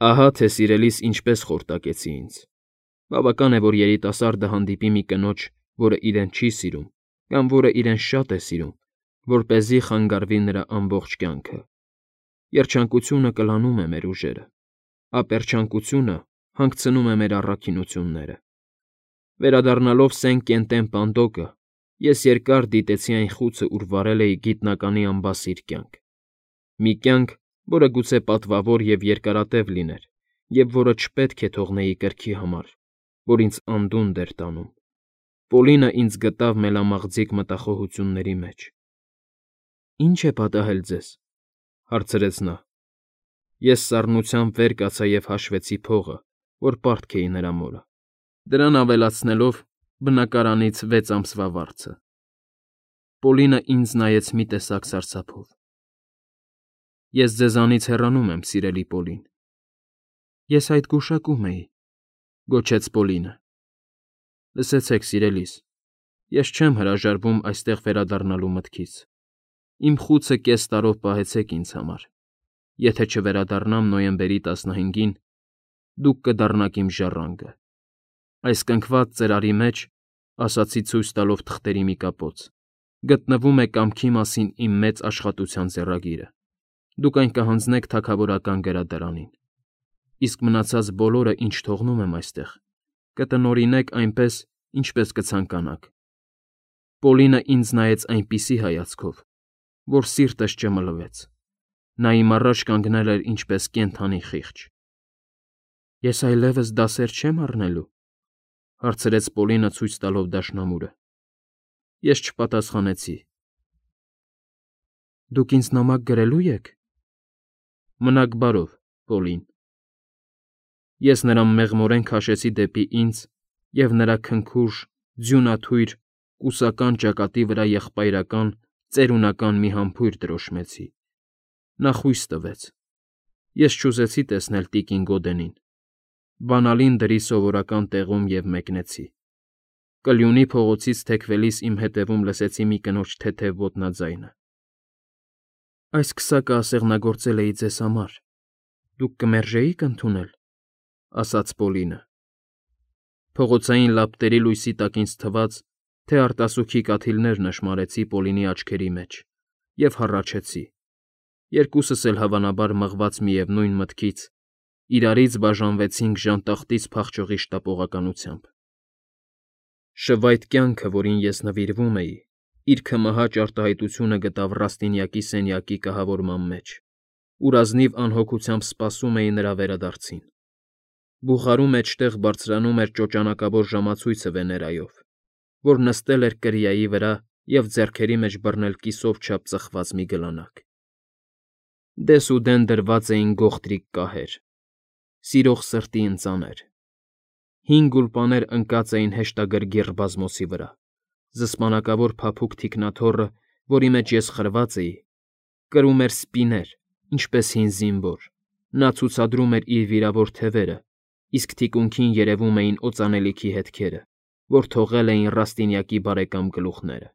Ահա թե սիրելիս ինչպես խորտակեցի ինձ։ Բավական է, որ երիտասարդը հանդիպի մի կնոջ, որը իրեն չի սիրում, կամ որը իրեն շատ է սիրում, որպեսզի խանգարվի նրա ամբողջ կյանքը։ Երջանկությունը կլանում է մեր ուժերը, ապերչանկությունը հանգցնում է մեր առաքինությունները։ Վերադառնալով Սեն Կենտեն Պանդոկը, ես երկար դիտեցի այն խուցը, ուր վարել էի գիտնականի անբասիր կյանք։ Մի կյանք, որը գուցե պատվավոր և երկարատև լիներ, և որը չպետք է թողնեի կրքի համար, որ ինձ անդունդն էր տանում։ Պոլինը ինձ գտավ մելամաղձիկ մտախոհությունների մեջ։ «Ի՞նչ է պատահել ձեզ,֊ հարցրեց նա։ Ես սառնությամբ վեր կացա և հաշվեցի փողը, որ պարտք էի նրա մորը, դրան ավելացնելով բնակարանից 6 ամսվա վարձը։ Պոլինը ինձ նայեց մի տեսակ սարսափով։ Ես ձեզանից հեռանում եմ, սիրելի Պոլին։ Ես այդ գուշակում էի,֊ գոչեց Պոլինը։ Լսեցեք, սիրելիս, ես չեմ հրաժարվում այստեղ վերադառնալու մտքից։ Իմ խուցը կես տարով պահեցեք ինձ համար։ Եթե չվերադառնամ նոյեմբերի 15-ին, դուք կդառնաք իմ ժառանգը։ Այս կնքված ծրարի մեջ, ասացի ցույց տալով թղթերի մի կապոց, գտնվում է կամքի մասին իմ մեծ աշխատության ձեռագիրը։ Դուք այն կհանձնեք թագավորական գրադարանին։ Իսկ մնացած բոլորը, ինչ թողնում եմ այստեղ, կտնօրինեք այնպես, ինչպես կցանկանաք։ Պոլինը ինձ նայեց այնպիսի հայացքով, որ սիրտս ճմլվեց։ Նա իմ առաջ կանգնել էր ինչպես կենդանի խիղճ։ Ես այլևս դասեր չե՞մ առնելու,֊ հարցրեց Պոլինը ցույց տալով դաշնամուրը։ Ես չպատասխանեցի։ Դուք ինձ նամակ գրելո՞ւ եք։ Մնաք բարով, Պոլին։ Ես նրան մեղմորեն քաշեցի դեպի ինձ և նրա քնքուշ, ձյունաթույր, կուսական ճակատի վրա եղբայրական, ծերունական մի համբույր դրոշմեցի։ Նա խույս տվեց։ Ես չուզեցի տեսնել տիկին Գոդենին։ Բանալին դրի սովորական տեղում և մեկնեցի։ Կլյունի փողոցից թեքվելիս իմ հետևում լսեցի մի կնոջ թեթև ոտնաձայնը։ Այս քսակը ասեղնագործել էի ձեզ համար։ Դուք կմերժեի՞ք ընդունել,֊ ասաց Պոլինը։ Փողոցային լապտերի լույսի տակ ինձ թվաց, թե արտասուքի կաթիլներ նշմարեցի Պոլինի աչքերի մեջ և հառաչեցի։ Երկուսս էլ հավանաբար մղված միևնույն մտքից, իրարից բաժանվեցինք ժանտախտից փախչողի շտապողականությամբ։ Շվայտ կյանքը, որին ես նվիրվում էի, իր քմահաճ արտահայտությունը գտավ Ռաստինյակի սենյակի կահավորման մեջ, ուր ազնիվ անհոգությամբ սպասում էի նրա վերադարձին։ Բուխարու մեջտեղ բարձրանում էր ճոճանակավոր ժամացույցը Վեներայով, որ նստել էր կրիայի վրա և ձեռքերի մեջ բռնել կիսով չափ ծխված մի գլանակ։ Դեսուդեն դրված էին գողտրիկ կահեր, սիրող սրտի ընծաներ։ 5 գուլպաներ ընկած էին հեշտագրգիռ բազմոցի վրա, զսպանակավոր փափուկ թիկնաթոռը, որի մեջ ես խրված էի, կրում էր սպիներ, ինչպես հին զինվոր։ Նա ցուցադրում էր իր վիրավոր թևերը, իսկ թիկունքին երևում էին օծանելիքի հետքերը, որ թողել էին Ռաստինյակի բարեկամ գլուխները։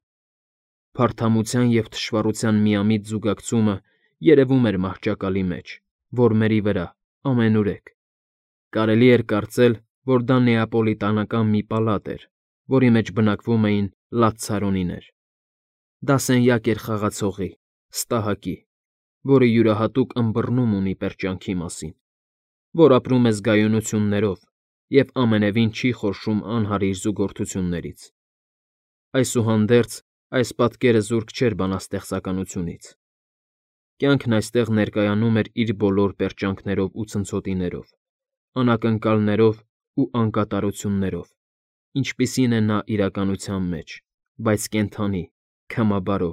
Փարթամության և թշվառության միամիտ զուգակցումը երևում էր մահճակալի մեջ, որմերի վրա, ամենուրեք։ Կարելի էր կարծել, որ դա նեապոլիտանական մի պալատ էր, որի մեջ բնակվում էին լացցարոնիներ։ Դա սենյակ էր խաղացողի, ստահակի, որը յուրահատուկ ըմբռնում ունի պերճանքի մասին, որ ապրում է զգայունություններով և ամենևին չի խորշում անհարիր զուգորդություններից։ Այսուհանդերձ, այս պատկերը զուրկ չէր բանաստեղծականությունից։ Կյանքն այստեղ ներկայանում էր իր բոլոր պերճանքներով ու ցնցոտիներով, անակնկալներով ու անկատարություններով, ինչպիսին է նա իրականության մեջ, բայց կենդանի, քմաբարո,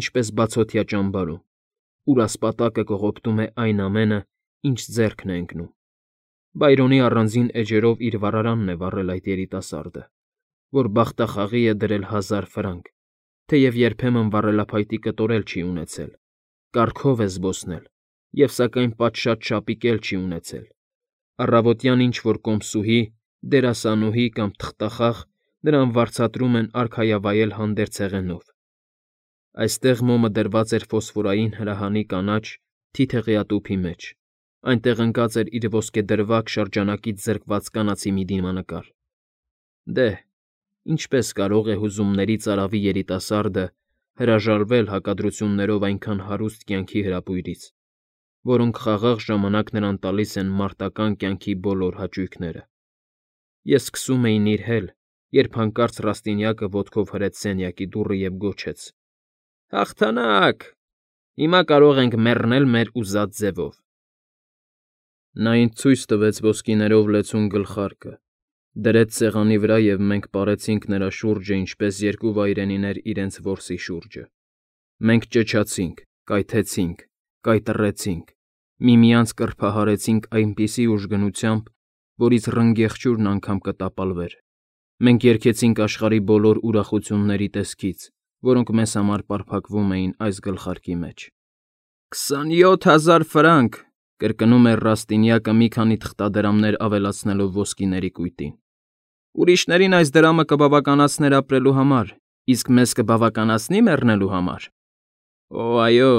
ինչպես բացօթյա ճամբարում, ուր ասպատակը կողոպտում է այն ամենը, ինչ ձեռքն է ընկնում։ Բայրոնի առանձին էջերով իր վառարանն է վառել այդ երիտասարդը, որ բախտախաղի է դրել 1000 ֆրանկ, թեև երբեմն վառելափայտի կտոր էլ չի ունեցել, կառքով է զբոսնել և սակայն պատշաճ շապիկ էլ չի ունեցել։ Առավոտյան ինչ֊որ կոմսուհի, դերասանուհի կամ թղթախաղ նրան վարձատրում են արքայավայել հանդերձ հեղենով։ Այստեղ մոմը դրված էր ֆոսֆորային հրահանի կանաչ, թիթեղյա տուփի մեջ, Այնտեղ ընկած էր իր ոսկեդրվագ շրջանակից զրկված կանացի մի դիմանկար։ Դե, ինչպես կարող է հուզումների ծարավի երիտասարդը հրաժարվել հակադրություններով այնքան հարուստ կյանքի հրապույրից, որոնք խաղաղ ժամանակ նրան տալիս են մարտական կյանքի բոլոր հաճույքները։ Ես սկսում էի նիրհել, երբ հանկարծ Ռաստինյակը ոտքով հրեց սենյակի դուռը և գոչեց. «Հաղթանակ… Հիմա կարող ենք մեռնել մեր ուզած ձևով»։ Նա ինձ ցույց տվեց ոսկիներով լեցուն գլխարկը, դրեց սեղանի վրա և մենք պարեցինք նրա շուրջը ինչպես երկու վայրենիներ իրենց որսի շուրջը։ Մենք ճչացինք, կայթեցինք, կայտռեցինք, միմյանց կռփահարեցինք այնպիսի ուժգնությամբ, որից ռնգեղջյուրն անգամ կտապալվեր։ Մենք երգեցինք աշխարհի բոլոր ուրախությունների տեսքից, որոնք մեզ համար պարփակվում էին այս գլխարկի մեջ։ 27,000 ֆրանկ,֊ կրկնում էր Ռաստինյակը մի քանի թղթադրամներ ավելացնելով ոսկիների կույտին։ Ուրիշներին այս դրամը կբավականացներ ապրելու համար, իսկ մեզ կբավականացնի մեռնելու համար։ Օ, այո,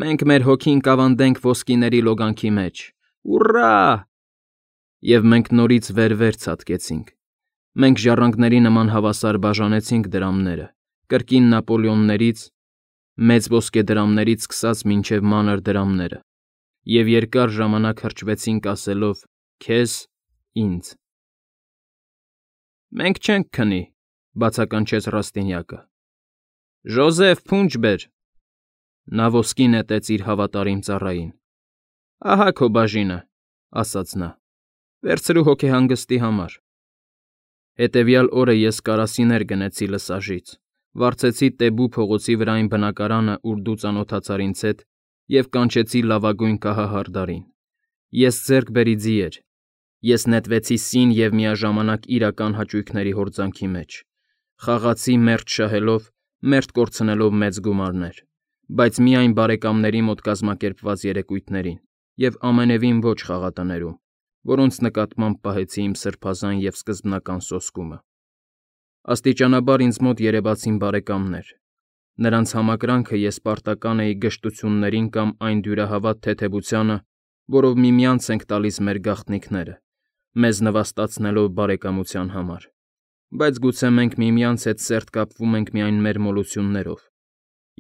մենք մեր հոգին կավանդենք ոսկիների լոգանքի մեջ։ Ուռա՜։ Եվ մենք նորից վեր ցատկեցինք։ Մենք ժառանգների նման հավասար բաժանեցինք դրամները, կրկին Նապոլեոններից, մեծ ոսկեդրամներից սկսած մինչև մանր դրամները, և երկար ժամանակ հրճվեցինք ասելով. «Քեզ, ինձ»։ Մենք չենք քնի,֊ բացականչեց Ռաստինյակը։ Ժոզեֆ, փունջ բեր։ Նա ոսկի նետեց իր հավատարիմ ծառային։ Ահա քո բաժինը,֊ ասաց նա։ Վերցրու հոգեհանգստի համար։ Հետևյալ օրը ես կարասիներ գնեցի Լսաժից, վարձեցի Տեբու փողոցի վրա այն բնակարանը, ուր դու ծանոթացար ինձ հետ, և կանչեցի լավագույն կահահարդարին։ Ես ձեռքբերի ձի էր։ Ես նետվեցի սին և միաժամանակ իրական հաճույքների հորձանքի մեջ։ Խաղացի մերթ շահելով, մերթ կորցնելով մեծ գումարներ, բայց միայն բարեկամների մոտ կազմակերպված երեկույթներին և ամենևին ոչ խաղատներում, որոնց նկատմամբ պահեցի իմ սրբազան և սկզբնական սոսկումը։ Աստիճանաբար ինձ մոտ երևացին բարեկամներ։ Նրանց համակրանքը ես պարտական էի գժտություններին կամ այն դյուրահավատ թեթևությանը, որով միմյանց ենք տալիս մեր գաղտնիքները, մեզ նվաստացնելով բարեկամության համար, բայց գուցե մենք միմյանց հետ սերտ կապվում ենք միայն մեր մոլություններով։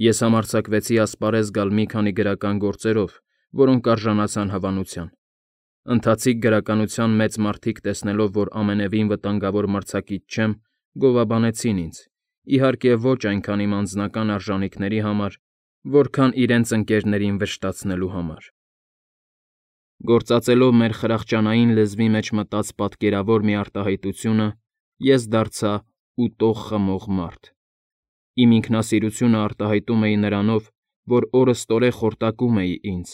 Ես համարձակվեցի ասպարեզ գալ մի քանի գրական գործերով, որոնք արժանացան հավանության։ Ընթացիկ գրականության մեծ մարդիկ, տեսնելով, որ ամենևին վտանգավոր մրցակից չեմ, գովաբանեցին ինձ, իհարկե ոչ այնքան իմ անձնական արժանիքների համար, որքան իրենց ընկերներին վշտացնելու համար։ Գործածելով մեր խրախճանային լեզվի մեջ մտած պատկերավոր մի արտահայտությունը, ես դարձա ուտող խմող մարդ։ Իմ ինքնասիրությունը արտահայտում էի նրանով, որ օրըստօրե խորտակում էի ինձ,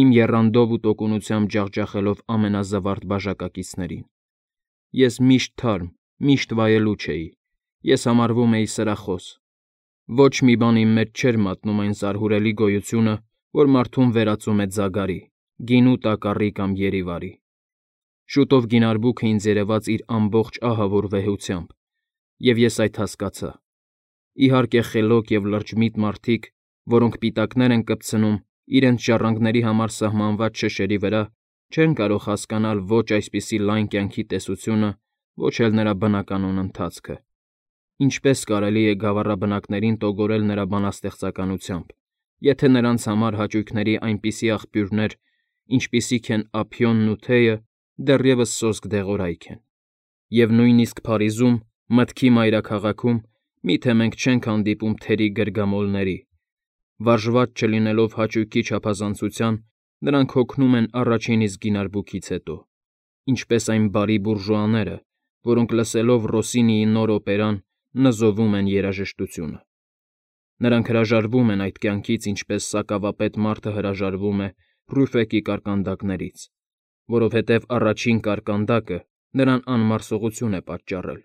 իմ եռանդով ու տոկունությամբ ջախջախելով ամենազվարթ բաժակակիցներին։ Ես միշտ թարմ, միշտ վայելուչ էի, ես համարվում էի սրախոս։ Ոչ մի բան իմ մեջ չէր մատնում այն զարհուրելի գոյությունը, որ մարդուն վերածում է ձագարի, գինու տակառի կամ երի վարի։ Շուտով գինարբուքը ինձ երևաց իր ամբողջ ահավոր վեհությամբ, և ես այդ հասկացա։ Իհարկե խելոք և լրջմիտ մարդիկ, որոնք պիտակներ են կպցնում իրենց ժառանգների համար սահմանված շշերի վրա, չեն կարող հասկանալ ոչ այսպիսի լայն կյանքի տեսությունը, ոչ էլ նրա բնականոն ընթացքը։ Ինչպես կարելի է գավառաբնակներին տոգորել նրա բանաստեղծականությամբ, եթե նրանց համար հաճույքների այնպիսի աղբյուրներ, ինչպիսիք են ափիոնն ու թեյը, դեռևս սոսկ դեղորայք են։ Եվ նույնիսկ Փարիզում, մտքի մայրաքաղաքում, միթե մենք չենք հանդիպում թերի գրգամոլների։ Վարժված չլինելով հաճույքի չափազանցության, նրանք հոգնում են առաջին իսկ գինարբուքից հետո, ինչպես այն բարի բուրժուաները, որոնք լսելով Ռոսինիի նոր օպերան, նզովում են երաժշտությունը։ Նրանք հրաժարվում են այդ կյանքից, ինչպես սակավապետ մարդը հրաժարվում է Ռյուֆեկի կարկանդակներից, որովհետև առաջին կարկանդակը նրան անմարսողություն է պատճառել։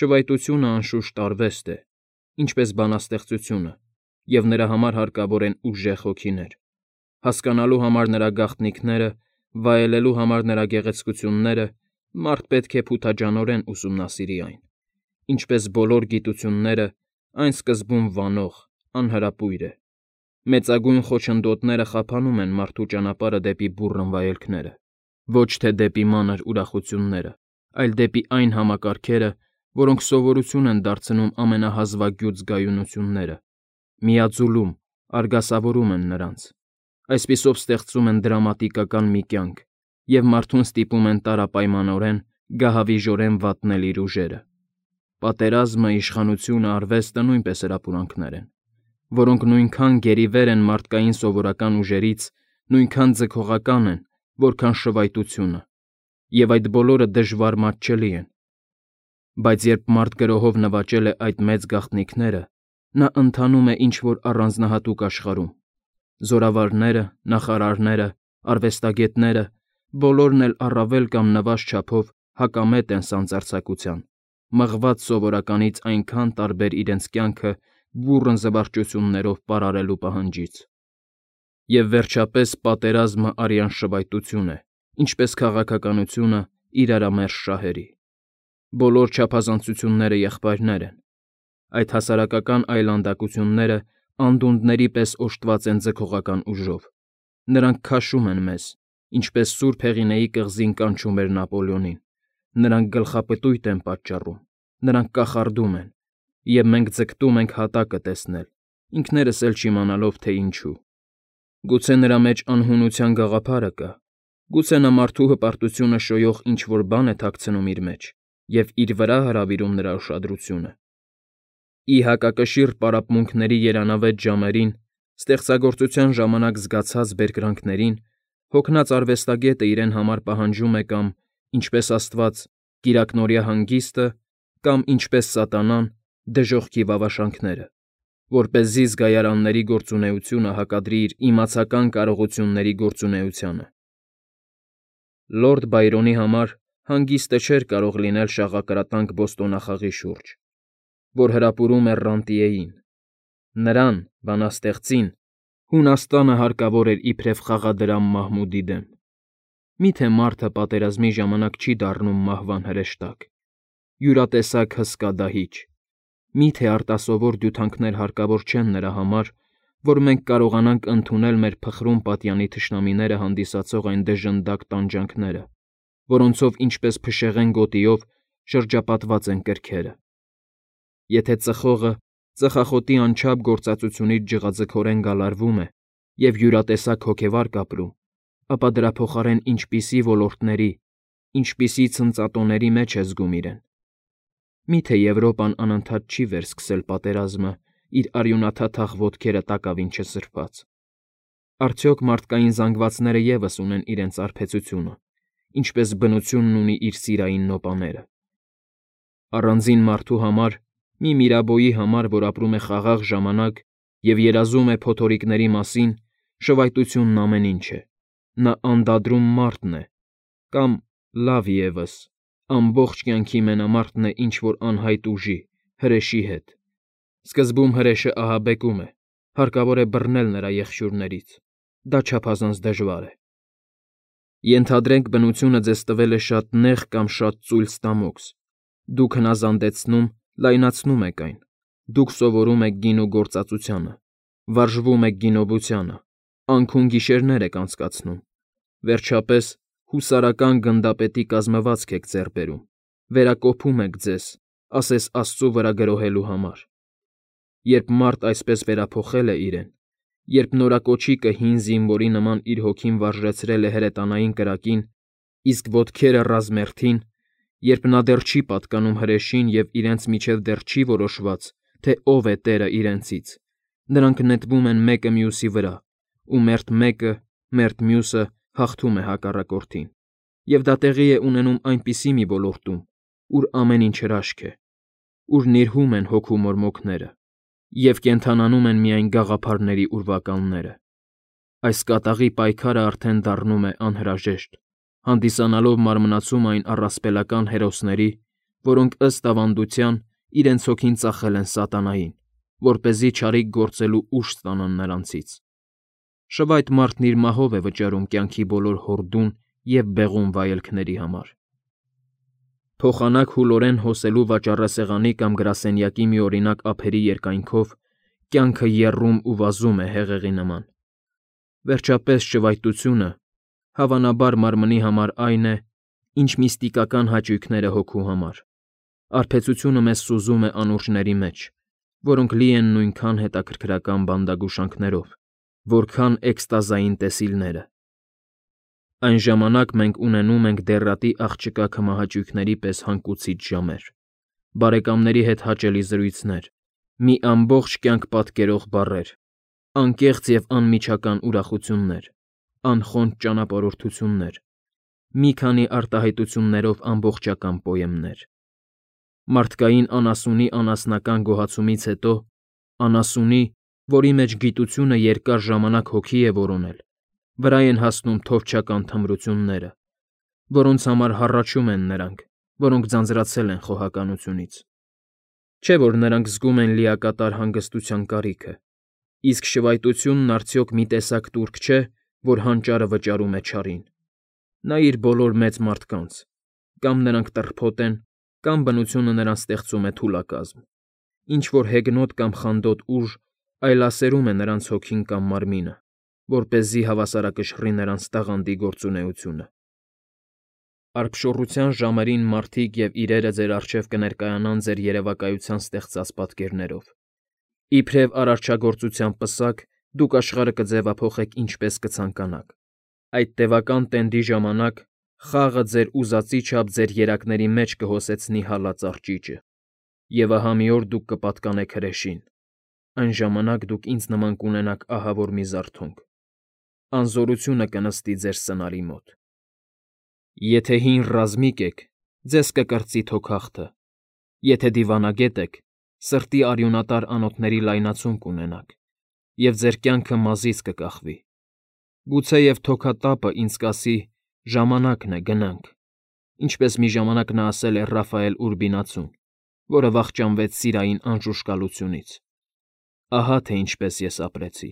Շվայտությունը, անշուշտ, արվեստ է, ինչպես բանաստեղծությունը, և նրա համար հարկավոր են ուժեղ հոգիներ։ Հասկանալու համար նրա գաղտնիքները, վայելելու համար նրա գեղեցկությունները մարդ պետք է փութաջանորեն ուսումնասիրի այն։ Ինչպես բոլոր գիտությունները, այն սկզբում վանող, անհրապույր է։ Մեծագույն խոչընդոտները խափանում են մարդու ճանապարհը դեպի բուռն վայելքները, ոչ թե դեպի մանր ուրախությունները, այլ դեպի այն համակարգերը, որոնք սովորություն են դարձնում ամենահազվագյուտ զգայունությունները, միաձուլում, արգասավորում են նրանց, այսպիսով ստեղծում են դրամատիկական մի կյանք և մարդուն ստիպում են տարապայմանորեն, գահավիժորեն վատնել իր ուժերը։ Պատերազմը, իշխանությունը, արվեստը նույնպես հրապուրանքներ են, որոնք նույնքան գերիվեր են մարդկային սովորական ուժերից, նույնքան ձգողական են, որքան շվայտությունը, և այդ բոլորը դժվար մատչելի են։ Բայց երբ մարդ գրոհով նվաճել է այդ մեծ գաղտնիքները, նա ընթանում է ինչ-որ առանձնահատուկ աշխարհում։ Զորավարները, նախարարները, արվեստագետները բոլորն էլ առավել կամ նվազ չափով հակամետ են սանձարձակության, մղված սովորականից այնքան տարբեր իրենց կյանքը բուռն զվարճություններով պարարելու պահանջից։ Եվ վերջապես պատերազմը արյան շվայտություն է, ինչպես քաղաքականությունը իրարամերժ շահերի։ Բոլոր չափազանցությունները եղբայրներ են։ Այդ հասարակական այլանդակությունները անդունդների պես օժտված են ձգողական ուժով։ Նրանք քաշում են մեզ, ինչպես Սուրբ Հեղինեի կղզին կանչում էր Նապոլեոնին։ Նրանք գլխապտույտ են պատճառում, նրանք կախարդում են, և մենք ձգտում ենք հատակը տեսնել, ինքներս էլ չիմանալով, թե ինչու։ Գուցե նրա մեջ անհունության գաղափարը կա, գուցե նա մարդու հպարտությունը շոյող ինչ-որ բան է թաքցնում իր մեջ և իր վրա հրավիրում նրա ուշադրությունը։ Ի հակակշիռ պարապմունքների երանավետ ժամերին, ստեղծագործության ժամանակ զգացած բերկրանքներին, հոգնած արվեստագետը իրեն համար պահանջում է կամ, ինչպես Աստված, կիրակնօրյա հանգիստը, կամ, ինչպես սատանան, դժոխքի վավաշանքները, որպեսզի զգայարանների գործունեությունը հակադրի իր իմացական կարողությունների գործունեությանը։ Լորդ Բայրոնի համար հանգիստը չէր կարող լինել շաղակրատանք բոստոնախաղի շուրջ, որ հրապուրում էր Ռանտիեին։ Նրան, բանաստեղծին, Հունաստանը հարկավոր էր իբրև խաղադրամ Մահմուդի դեմ։ Միթե մարդը պատերազմի ժամանակ չի դառնում մահվան հրեշտակ, յուրատեսակ հսկա դահիճ։ Միթե արտասովոր դյութանքներ հարկավոր չեն նրա համար, որ մենք կարողանանք ընդունել մեր փխրուն պատյանի թշնամիները հանդիսացող այն դժնդակ տանջանքները, որոնցով ինչպես փշեղեն գոտիով շրջապատված են կրքերը։ Եթե ծխողը ծխախոտի անչափ գործածությունից ջղաձգորեն գալարվում է և յուրատեսակ հոգեվարք ապրում, ապա դրա փոխարեն ինչպիսի ոլորտների, ինչպիսի ցնծատոների մեջ է զգում իրեն։ Միթե Եվրոպան անընդհատ չի վերսկսել պատերազմը իր արյունաթաթախ ոտքերը տակավին չսրբած։ Արդյոք մարդկային զանգվածները ևս ունեն իրենց արբեցությունը, ինչպես բնությունն ունի իր սիրային նոպաները։ Առանձին մարդու համար, մի Միրաբոյի համար, որ ապրում է խաղաղ ժամանակ և երազում է փոթորիկների մասին, շվայտությունն ամեն ինչ է։ Նա անդադրում մարդն է, կամ, լավ ևս, ամբողջ կյանքի մենամարտն է ինչ-որ անհայտ ուժի, հրեշի հետ։ Սկզբում հրեշը ահաբեկում է, հարկավոր է բռնել նրա եղջյուրներից։ Դա չափազանց դժվար է։ Ենթադրենք բնությունը ձեզ տվել է շատ նեղ կամ շատ ծույլ ստամոքս։ Դուք հնազանդեցնում, լայնացնում եք այն։ Դուք սովորում եք գինու գործածությանը, վարժվում եք գինովությանը, անքուն գիշերներ եք անցկացնում։ Վերջապես, հուսարական գնդապետի կազմվածք եք ձեռք բերում, վերակոփում եք ձեզ, ասես Աստծու վրա գրոհելու համար։ Երբ մարդ այսպես վերափոխել է իրեն, երբ նորակոչիկը հին զինվորի նման իր հոգին վարժեցրել է հրետանային կրակին, իսկ ոտքերը ռազմերթին, երբ նա դեռ չի պատկանում հրեշին և իրենց միջև դեռ չի որոշված, թե ով է տերը իրենցից, նրանք նետվում են մեկը մյուսի վրա, ու մերթ մեկը, մերթ մյուսը հաղթում է հակառակորդին, և դա տեղի է ունենում այնպիսի մի ոլորտում, ուր ամեն ինչ հրաշք է, ուր նիրհում են հոգու մորմոքները, և կենդանանում են միայն գաղափարների ուրվականները։ Այս կատաղի պայքարը արդեն դառնում է անհրաժեշտ, հանդիսանալով մարմնացում այն առասպելական հերոսների, որոնք ըստ ավանդության իրենց հոգին ծախել են սատանային, որպեսզի չարիք գործելու ուժ ստանան նրանցից։ Շվայտ մարդն իր մահով է վճարում կյանքի բոլոր հորդուն և բեղուն վայելքների համար։ Փոխանակ հուլորեն հոսելու վաճառասեղանի կամ գրասենյակի մի օրինակ ափերի երկայնքով Կյանքը եռում ու վազում է հեղեղի նման։ Վերջապես ճվայտությունը, հավանաբար մարմնի համար այն է, ինչ միստիկական հաճույքները հոգու համար։ Արբեցությունը մեզ սուզում է անուրջների մեջ, որոնք լի են նույնքան հետաքրքրական բանդագուշանքներով, որքան էքստազային տեսիլները։ Այն ժամանակ մենք ունենում ենք դեռատի աղջկա քմահաճույքների պես հանգուցիչ ժամեր, բարեկամների հետ հաճելի զրույցներ, մի ամբողջ կյանք պատկերող բառեր, անկեղծ և անմիջական ուրախություններ, անխոնջ ճանապարհորդություններ, մի քանի արտահայտություններով ամբողջական պոեմներ։ Մարդկային անասունի անասնական գոհացումից հետո, անասունի, որի մեջ գիտությունը երկար ժամանակ հոգի է որոնել, վրա են հասնում թովչական թմրությունները, որոնց համար հառաչում են նրանք, որոնք ձանձրացել են խոհականությունից։ Չէ՞ որ նրանք զգում են լիակատար հանգստության կարիքը, իսկ շվայտությունն արդյոք մի տեսակ տուրք չէ, որ հանճարը վճարում է չարին։ Նայիր բոլոր մեծ մարդկանց, կամ նրանք տրփոտ են, կամ բնությունը նրանց ստեղծում է թուլակազմ, ինչ-որ հեգնոտ կամ խանդոտ ուժ այլասերում է նրանց հոգին կամ մարմինը, որպեսզի հավասարակշռի նրանց տաղանդի գործունեությունը։ Արբշոռության ժամերին մարդիկ և իրերը ձեր առջև կներկայանան ձեր երևակայության ստեղծած պատկերներով։ Իբրև արարչագործության պսակ դուք աշխարհը կձևափոխեք ինչպես կցանկանաք։ Այդ տևական տենդի ժամանակ խաղը ձեր ուզածի չափ ձեր երակների մեջ կհոսեցնի հալած արճիճը, և ահա մի օր դուք կպատկանեք հրեշին։ Այն ժամանակ դուք ինձ նման կունենաք ահավոր մի զարթոնք։ Անզորությունը կնստի ձեր սնարի մոտ։ Եթե հին ռազմիկ եք, ձեզ կկրծի թոքախթը, եթե դիվանագետ եք, սրտի արյունատար անոթների լայնացում կունենաք, և ձեր կյանքը մազից կկախվի։ Գուցեև թոքատափը ինձ կասի. «Ժամանակն է, գնանք», ինչպես մի ժամանակ նա ասել է Ռաֆայել Ուրբինացուն, որը վախճանվեց սիրային անժուշկալությունից։ Ահա թե ինչպես ես ապրեցի։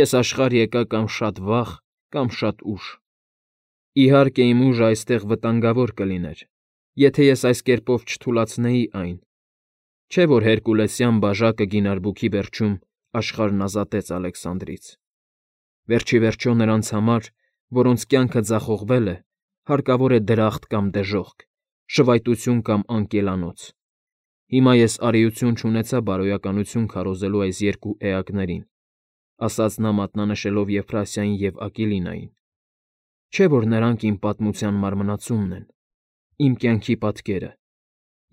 Ես աշխարհ եկա կամ շատ վաղ, կամ շատ ուշ։ Իհարկե, իմ ուժը այստեղ վտանգավոր կլիներ, եթե ես այս կերպով չթուլացնեի այն։ Չէ՞ որ հերկուլեսյան բաժակը գինարբուքի վերջում աշխարհն ազատեց Ալեքսանդրից։ Վերջ ի վերջո նրանց համար, որոնց կյանքը ձախողվել է, հարկավոր է դրախտ կամ դժոխք, շվայտություն կամ անկելանոց։ Հիմա ես արիություն չունեցա բարոյականություն քարոզելու այս երկու էակներին, ասաց նա մատնանշելով Եփրասիային և Ակիլինային։ Չէ՞ որ նրանք իմ պատմության մարմնացումն են, իմ կյանքի պատկերը։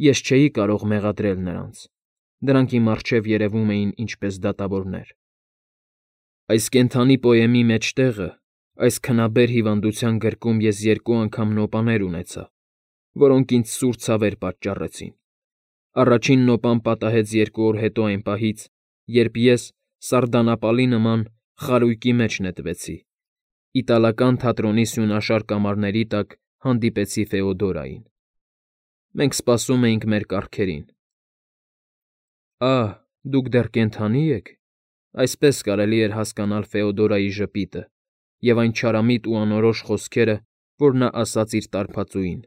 Ես չէի կարող մեղադրել նրանց, դրանք իմ առջև երևում էին ինչպես դատավորներ։ Այս կենդանի պոեմի մեջտեղը, այս քնաբեր հիվանդության գրկում ես երկու անգամ նոպաներ ունեցա, որոնք ինձ սուր ցավեր պատճառեցին։ Առաջին նոպան պատահեց 2 օր հետո այն պահից, երբ ես, սարդանապալի նման, խարույկի մեջ նետվեցի։ Իտալական թատրոնի սյունաշար կամարների տակ հանդիպեցի Ֆեոդորային։ Մենք սպասում էինք մեր կառքերին։ Ահ, դուք դեռ կենդանի եք։ Այսպես կարելի էր հասկանալ Ֆեոդորայի ժպիտը և այն չարամիտ ու անորոշ խոսքերը, որ նա ասաց իր տարբածուին,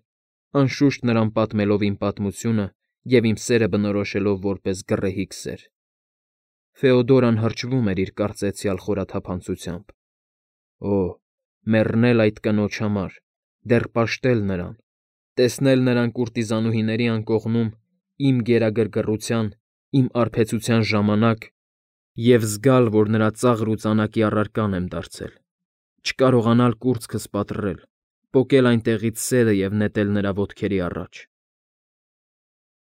անշուշտ նրան պատմելով իմ պատմությունը և իմ սերը բնորոշելով որպես գռեհիկ սեր։ Ֆեոդորան հրճվում էր իր կարծեցյալ խորաթափանցությամբ։ Օ՜, մեռնել այդ կնոջ համար, դեռ պաշտել նրան, տեսնել նրան կուրտիզանուհիների անկողնում իմ գերագրգռության, իմ արբեցության ժամանակ և զգալ, որ նրա ծաղր ու ծանակի առարկան եմ դարձել, չկարողանալ կուրծքս պատռել, պոկել այնտեղից սերը և նետել նրա ոտքերի առաջ։